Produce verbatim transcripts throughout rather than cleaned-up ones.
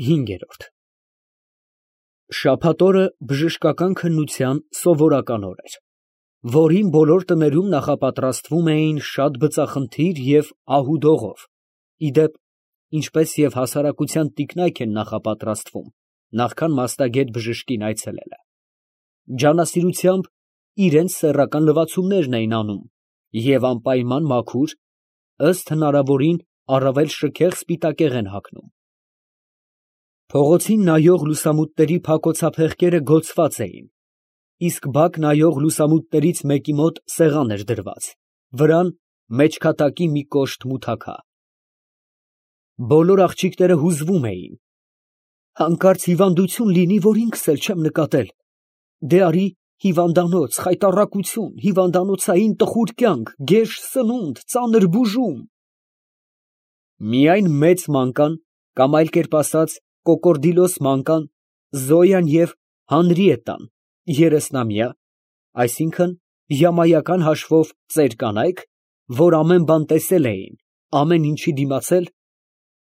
ՀԻՆԳԵՐՈՐԴ Շաբաթ օրը բժշկական քննության սովորական օր էր, որին բոլոր տներում նախապատրաստվում էին շատ բծախնդիր և ահу դողով, ի դեպ, ինչպես և հասարակության տիկնայք են նախապատրաստվում, նախքան մասնագետ բժշկին այցելելը, ջանասիրությամբ իրանց սեռական լվացումներն էին անում և անպայման մաքուր, ըստ հնարավորին առավել շքեղ սպիտակեղեն հագնում։ Փողոցին նայող լուսամուտների փակոցափեղկերը գոցված էին, իսկ բակ նայող լուսամուտներից մեկի մոտ սեղան էր դրված, վրան մեջքատակի մի կոշտ մութաքա։ Բոլոր աղջիկները հուզվում էին. «Հանկարծ հիվանդություն լինի, որ ինքս էլ չեմ նկատել, դե արի հիվանդանոց, խայտառակություն, հիվանդանոցային տխուր կյանք, գեշ սնունդ, ծանր բուժում»։ Միայն մեծ մանկան, կամ այլ կերպ ասած, կոկորդիլոս մանկան, Զոյան և Հանրիետտան, երեսնամյա, այսինքն յամայական հաշվով ծեր կանայք, որ ամեն բան տեսել էին, ամեն ինչի դիմացել,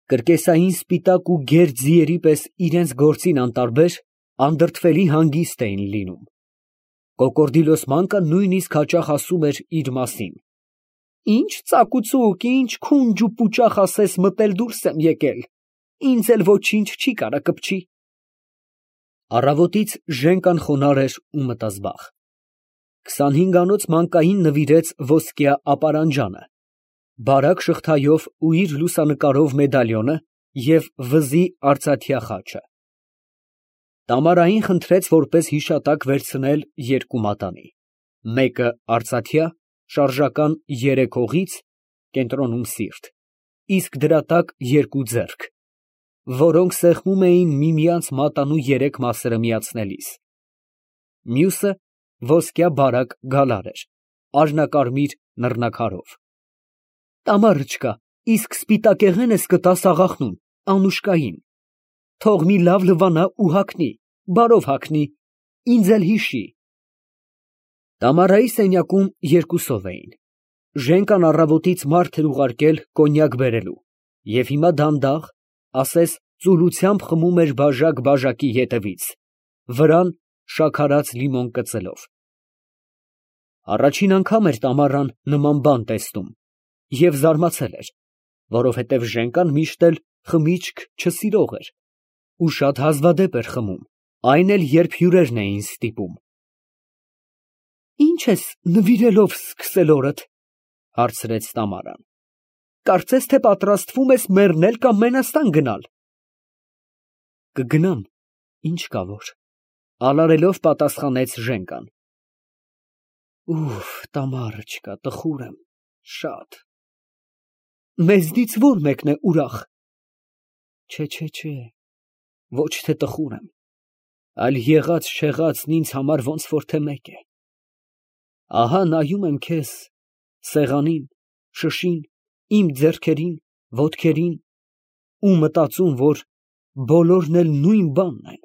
կրկեսային սպիտակ ու գեր ձիերի պես իրանց գործին անտարբեր, անդրդվելի հանգիստ էին լինում։ Կոկորդիլոս մանկան նույնիսկ հաճախ ասում էր իր մասին. «Ինչ ծակուցուկ, ինչ քունջ ու պուճախ ասես մտել դուրս եմ եկել, ինձ էլ ոչինչ չի կարա կպչի»։ Առավոտից Ժենկան խոնարհ էր ու մտազբաղ։ Քսանհինգանոց մանկային նվիրեց ոսկյա ապարանջանը, բարակ շղթայով ու իր լուսանկարով մեդալիոնը և վզի արծաթյա խաչը։ Տամարային խնդրեց որպես հիշատակ վերցնել երկու մատանի, մեկը արծաթյա, շարժական երեք հողից (կենտրոնում սիրտ), իսկ դրա տակ երկու ձեռք, որոնք սեղմում էին միմյանց մատանու երեք մասերը միացնելիս։ Մյուսը ոսկյա բարակ գալար էր, արհնակարմիր նռնաքարով։ Տամարը, իսկ սպիտակեղեն ես կտաս աղախնուն, Անուշկային, թող մի լավ լվանա ու հագնի, բարով հագնի, ինձ էլ հիշի։ Տամարայի սենյակում երկուսով էին, Ժենկան առավոտից մարդ էր ուղարկել կոնյակ բերելու և հիմա դանդաղ, ասես ծուլությամբ խմում էր բաժակ բաժակի ետևից, վրան շաքարած լիմոն կծելով։ Առաջին անգամ էր Տամարան նման բան տեսնում և զարմացել էր, որովհետև Ժենկան միշտ էլ խմիչք չսիրող էր ու շատ հազվադեպ էր խմում, այն էլ երբ հյուրերն էին ստիպում։ «Ի՞նչ ես նվիրելով սկսել օրդ», ֊ հարցրեց Տամարան, «կարծես թե պատրաստվում ես մեռնել կամ մենաստան գնալ»։ «Կգնամ, ինչ կա որ», ֊ արարելով պատասխանեց Ժենկան։ «Ուֆ, Տամարը, տխուր եմ շատ»։ «Մեզնից ո՞ր մեկն է ուրախ»։ «Չէ, ոչ թե տխուր եմ, այլ եղած֊շեղածն ինձ համար ոնց որ թե մեկ է։ Ահա նայում եմ քեզ, սեղանին, շշին, իմ ձեռքերին, ոտքերին ու մտածում, որ բոլորն էլ նույն բանն են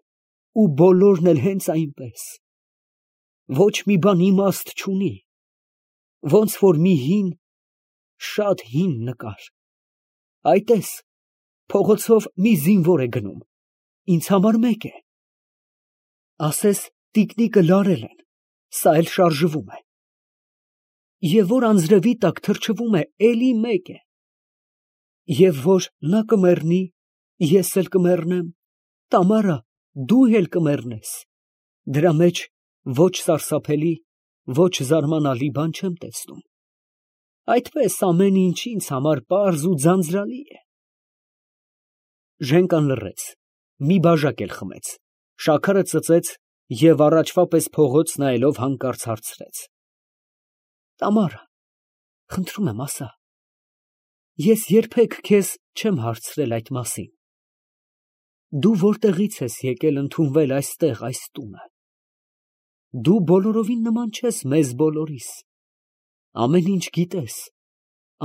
ու բոլորն էլ հենց այնպես, ոչ մի բան իմաստ չունի, ոնց որ մի հին, շատ հին նկար։ Այ տես, փողոցով մի զինվոր է գնում, ինձ համար մեկ է, ասես տիկնիկը լարել են, սա էլ շարժվում է, և որ անձրևի տակ թրջվում է էլի մեկ է, և որ նա կմեռնի, ես էլ կմեռնեմ, Տամարա, դու էլ կմեռնես, դրա մեջ ոչ սարսափելի, ոչ զարմանալի բան չեմ տեսնում, այդպես ամեն ինչ ինձ համար պարզ ու ձանձրալի է։ Ժենկան լռեց, մի բաժակ էլ խմեց, շաքարը ծծեց և առաջվա պես փողոց նայելով հանկարծ հարցրեց. «Տամարա, խնդրում եմ, ասա, ես երբեք քեզ չեմ հարցրել այդ մասին, դու որտեղից ես եկել ընդունվել այստեղ, այս տունը, դու բոլորովին նման չես մեզ բոլորիս, ամեն ինչ գիտես,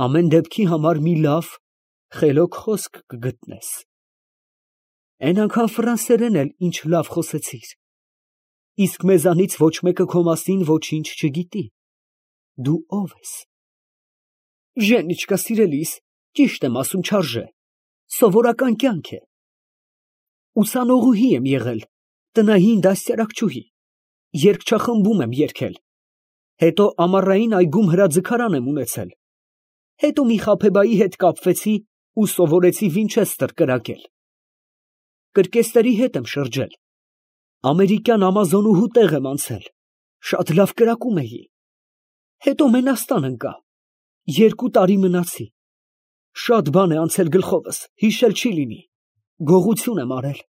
ամեն դեպքի համար մի լավ, խելոք խոսք կգտնես, էն անգամ ֆրանսերեն էլ ինչ լավ խոսեցիր, իսկ մեզանից ոչ մեկը քո մասին ոչինչ չգիտի, դու ո՞վ ես»։ «Ժենիչկա, սիրելիս, ճիշտ եմ ասում, չարժե, սովորական կյանք է, ուսանողուհի եմ եղել, տնային դաստիարակչուհի, երգչախմբում եմ երգել, հետո ամառային այգում հրաձգարան եմ ունեցել, հետո մի խաբեբայի հետ կապվեցի ու սովորեցի Վինչեսթեր կրակել, կրկեսների հետ եմ շրջել, ամերիկյան ամազոնուհու տեղ եմ անցել, շատ լավ կրակում էի, հետո Մենաստան ընկա, երկու տարի մնացի, շատ բան է անցել գլխովս, հիշել չի լինի, գողություն եմ արել։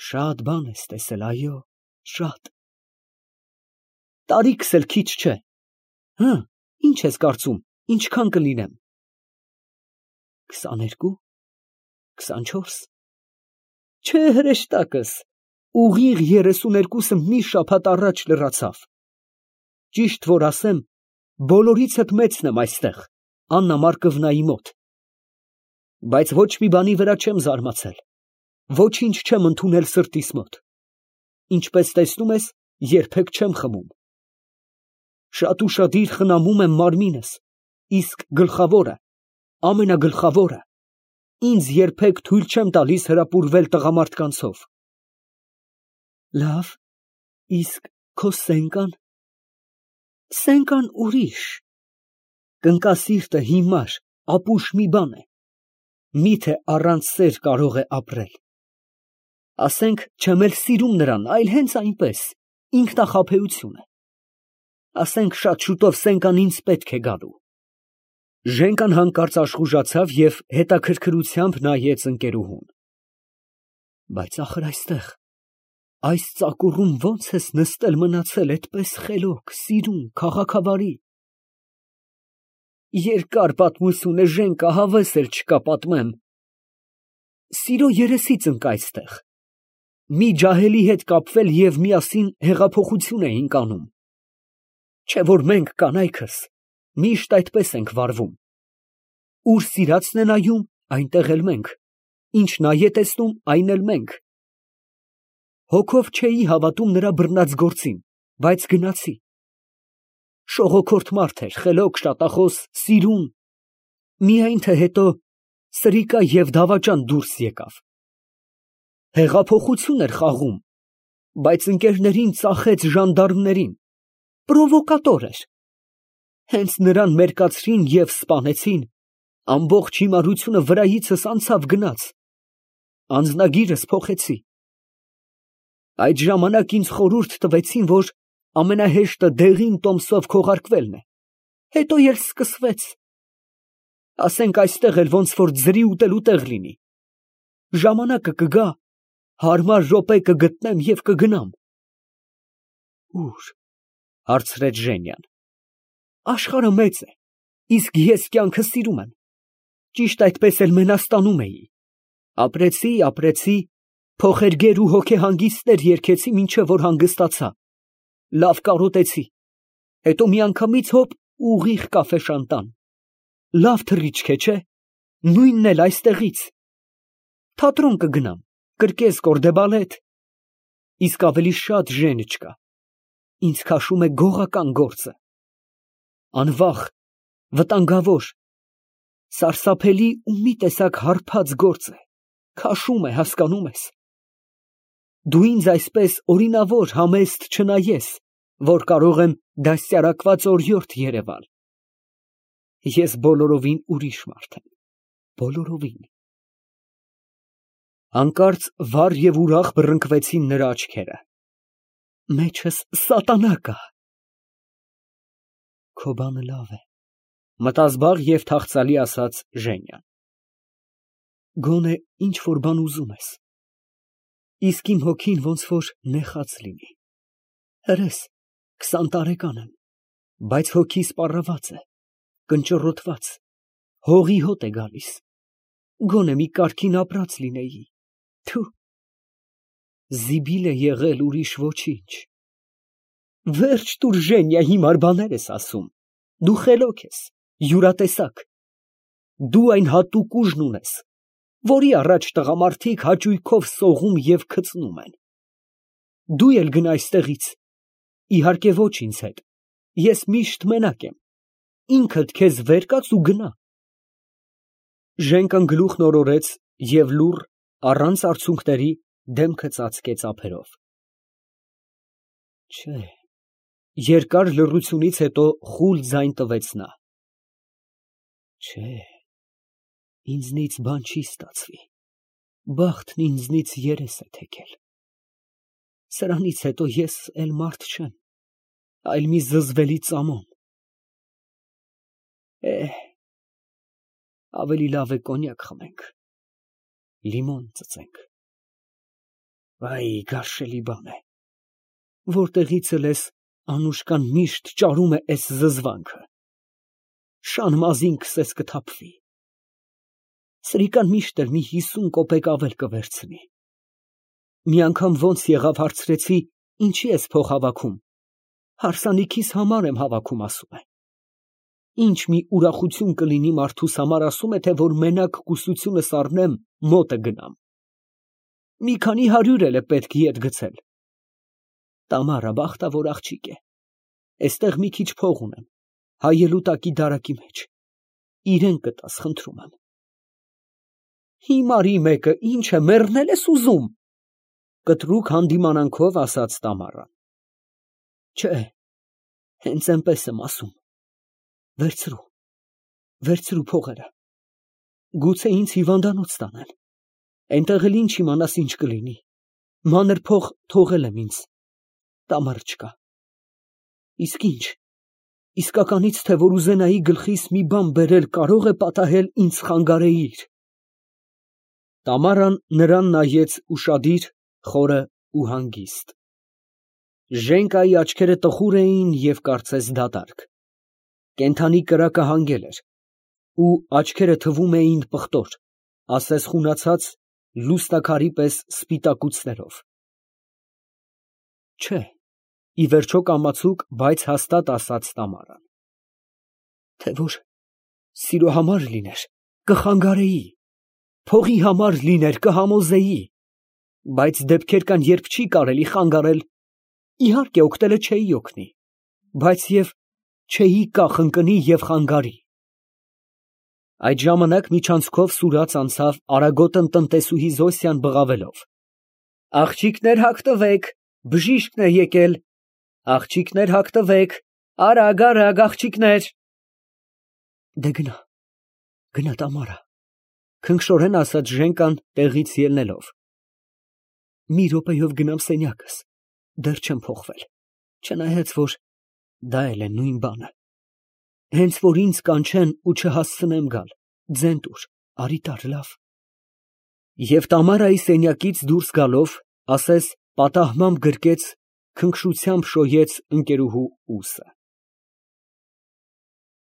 Շատ բան ես տեսել, այո, շատ։ Տարիքս էլ քիչ չէ։ Հը, ինչ ես կարծում, ինչքան կլինեմ։ քսաներկու, քսանչորս։ Չէ, հրեշտակս, ուղիղ երեսուներկուսը մի շաբաթ առաջ լրացավ։ Ճիշտ որ ասեմ, բոլորից հետ մեծն եմ այստեղ, Աննա Մարկովնայի մոտ։ Բայց ոչ մի բանի վրա չեմ զարմացել, ոչինչ չեմ ընդունել սրտիս մոտ, ինչպես տեսնում ես, երբեք չեմ խմում։ Շատ ուշադիր խնամում եմ մարմինս, իսկ գլխավորը, ամենագլխավորը, ինձ երբեք թույլ չեմ տալիս հրապուրվել տղամարդկանցով։ Լավ, իսկ քո սենկան։ Սենկան ուրիշ։ Կնկասիրտը հիմար, ապուշ մի բան է, միթե առանց սեր կարող է ապրել։ Ասենք, չեմ էլ սիրում նրան, այլ հենց այնպես, ինքնախաբեություն է։ Ասենք, շատ շուտով Սենկան ինձ պետք է գալու։ Ժենկան հանկարծ աշխուժացավ և հետաքրքրությամբ նայեց ընկերուհուն։ Բայց ախր այստեղ, այս ծակուռում ո՞նց ես նստել մնացել այդպես խելոք, սիրուն, քաղաքավարի։ Երկար պատմություն է, Ժենկա, հավես էլ չկա պատմեմ։ Սիրո երեսից ընկա այստեղ։ Մի ջահելի հետ կապվել և միասին հեղափոխություն էինք անում։ Չէ որ մենք կանայքս միշտ այդպես ենք վարվում։ Ուր սիրածն է նայում, այնտեղ էլ մենք, ինչ նա է տեսնում, այն էլ մենք։ Հոգով չէի հավատում նրա բռնած գործին, բայց գնացի։ Շողոքորթ մարդ էր, խելոք, շատախոս, սիրուն, միայն թե հետո սրիկա և դավաճան դուրս եկավ։ Հեղափոխություն էր խաղում, բայց ընկերներին ծախեց ժանդարմներին, պրովոկատոր էր։ Հենց նրան մերկացրին և սպանեցին, ամբողջ հիմարությունը վրայիցս անցավ գնաց, անձնագիրս փոխեցի։ Այդ ժամանակ ինձ խորհուրդ տվեցին, որ ամենահեշտը դեղին տոմսով քողարկվելն է, հետո էլ սկսվեց։ Ասենք այստեղ էլ ոնց որ ձրի ուտելու տեղ լինի։ Ժամանակը կգա, հարմար րոպե կգտնեմ և կգնամ։ Ո՞ւր, հարցրեց Ժենյան։ Աշխարհը մեծ է, իսկ ես կյանքը սիրում եմ, ճիշտ այդպես էլ Մենաստանում էի։ Ապրեցի, ապրեցի, փոխերգեր ու հոգեհանգիստներ երգեցի, մինչև որ հանգստացա, լավ կարոտեցի, հետո միանգամից հոպ ուղիղ կաֆե֊շանտան, լավ թռիչք է, չէ, նույնն էլ այստեղից, թատրոն կգնամ, կրկես կորդեբալետ, իսկ ավելի շատ Ժեն չկա, ինձ քաշում է գողական գործը, անվախ, վտանգավոր, սարսափելի ու մի տեսակ հարբած գործ է, քաշում է, հասկանում ես։ Դու ինձ այսպես օրինավոր համեստ չնայես, որ կարող եմ դաստիարակված օրիորդ երևալ։ Ես բոլորովին ուրիշ մարդ եմ, բոլորովին։ Հանկարծ վառ և ուրախ բռնկվեցին նրա աչքերը։ Մեջս սատանա կա։ Քո բանը լավ է, մտազբաղ և թախծալի ասաց Ժենյան։ Գոնե ինչ որ բան ուզում ես։ Իսկ իմ հոգին ոնց որ նեխած լինի։ Հրես, քսան տարեկան եմ, բայց հոգիս պառաված է, կնճռոտված, հողի հոտ է գալիս, գոնե մի կարգին ապրած լինեի, թու, զիբիլ է եղել, ուրիշ ոչինչ։ Վերջ տուր, Ժենյա, հիմար բաներ ես ասում, դու խելոք ես, յուրատեսակ, դու այն հատուկ ուժն ունես, որի առաջ տղամարդիկ հաճույքով սողում և քծնում են։ Դու էլ գնա այստեղից, իհարկե ոչ ինձ հետ, ես միշտ մենակ եմ, ինքդ քեզ վեր կաց ու գնա։ Ժենկան գլուխն օրորեց և լուռ, առանց արցունքների, դեմքը ծածկեց ափերով։ Չէ, երկար լռությունից հետո խուլ ձայն տվեց նա. Չէ, ինձնից բան չի ստացվի, բախտն ինձնից երես է թեքել, սրանից հետո ես էլ մարդ չեմ, այլ մի զզվելի ծամոն։ Էհ, ավելի լավ է կոնյակ խմենք, լիմոն ծծենք։ Վայ, գարշելի բան է, որտեղից էլ ես Անուշկան միշտ ճարում է էս զզվանքը, շան մազին քսես կթափվի, սրիկան միշտ էլ մի հիսուն կոպեկ ավել կվերցնի, մի անգամ ոնց եղավ հարցրեցի, ինչի ես փող հավաքում, հարսանիքիս համար եմ հավաքում, ասում է, ինչ մի ուրախություն կլինի մարդուս համար, ասում է, թե որ մենակ կուսությունս առնեմ, մոտը գնամ, մի քանի հարյուր էլ է պետք ետ գցել, Տամարա բախտավոր աղջիկ է, էստեղ մի քիչ փող ունեմ, հայելու տակի դարակի մեջ, իրեն կտաս, խնդրում եմ։ Հիմարի մեկը ինչ է, մեռնել ես ուզում, կտրուկ հանդիմանանքով ասաց Տամարան։ Չէ, հենց այնպես եմ ասում, վերցրու, վերցրու փողերը, գուցե ինձ հիվանդանոց տանեն, այնտեղ էլ ինչ իմանաս ինչ կլինի, մանր փող թողել եմ ինձ, Տամար չկա, իսկ ինչ, իսկականից թե որ ուզենայի գլխիս մի բան բերել, կարող է պատահել ինձ խանգարեիր։ Տամարան նրան նայեց ուշադիր, խորը ու հանգիստ։ Ժենկայի աչքերը տխուր էին և կարծես դատարկ, կենդանի կրակը հանգել էր, ու աչքերը թվում էին պղտոր, ասես խունացած, լուսնաքարի պես սպիտակուցներով։ Չէ, ի վերջո կամացուկ, բայց հաստատ ասաց Տամարան, թե որ սիրո համար լիներ, կխանգարեի, փողի համար լիներ, կհամոզեի, բայց դեպքեր կան, երբ չի կարելի խանգարել, իհարկե օգնելը չէի օգնի, բայց և չէի կախընկնի և խանգարի։ Այդ ժամանակ միջանցքով սուրաց անցավ արագոտն տնտեսուհի Զոսյան բղավելով. Աղջիկներ հագտվեք, բժիշկն է եկել, աղջիկներ հագտվեք, արագ, արագ, աղջիկներ։ Դե գնա, գնա Տամարա, քնքշորեն ասաց Ժենկան տեղից ելնելով։ Մի րոպեով գնամ սենյակս, դեռ չեմ փոխվել, չնայած որ դա էլ է նույն բանը, հենց որ ինձ կանչեն ու չհասցնեմ գալ, ձեն տուր, արի տար, լավ։ Եվ Տամարայի սենյակից դուրս գալով, ասես պատահմամբ գրկեց, քնքշությամբ շոյեց ընկերուհու ուսը։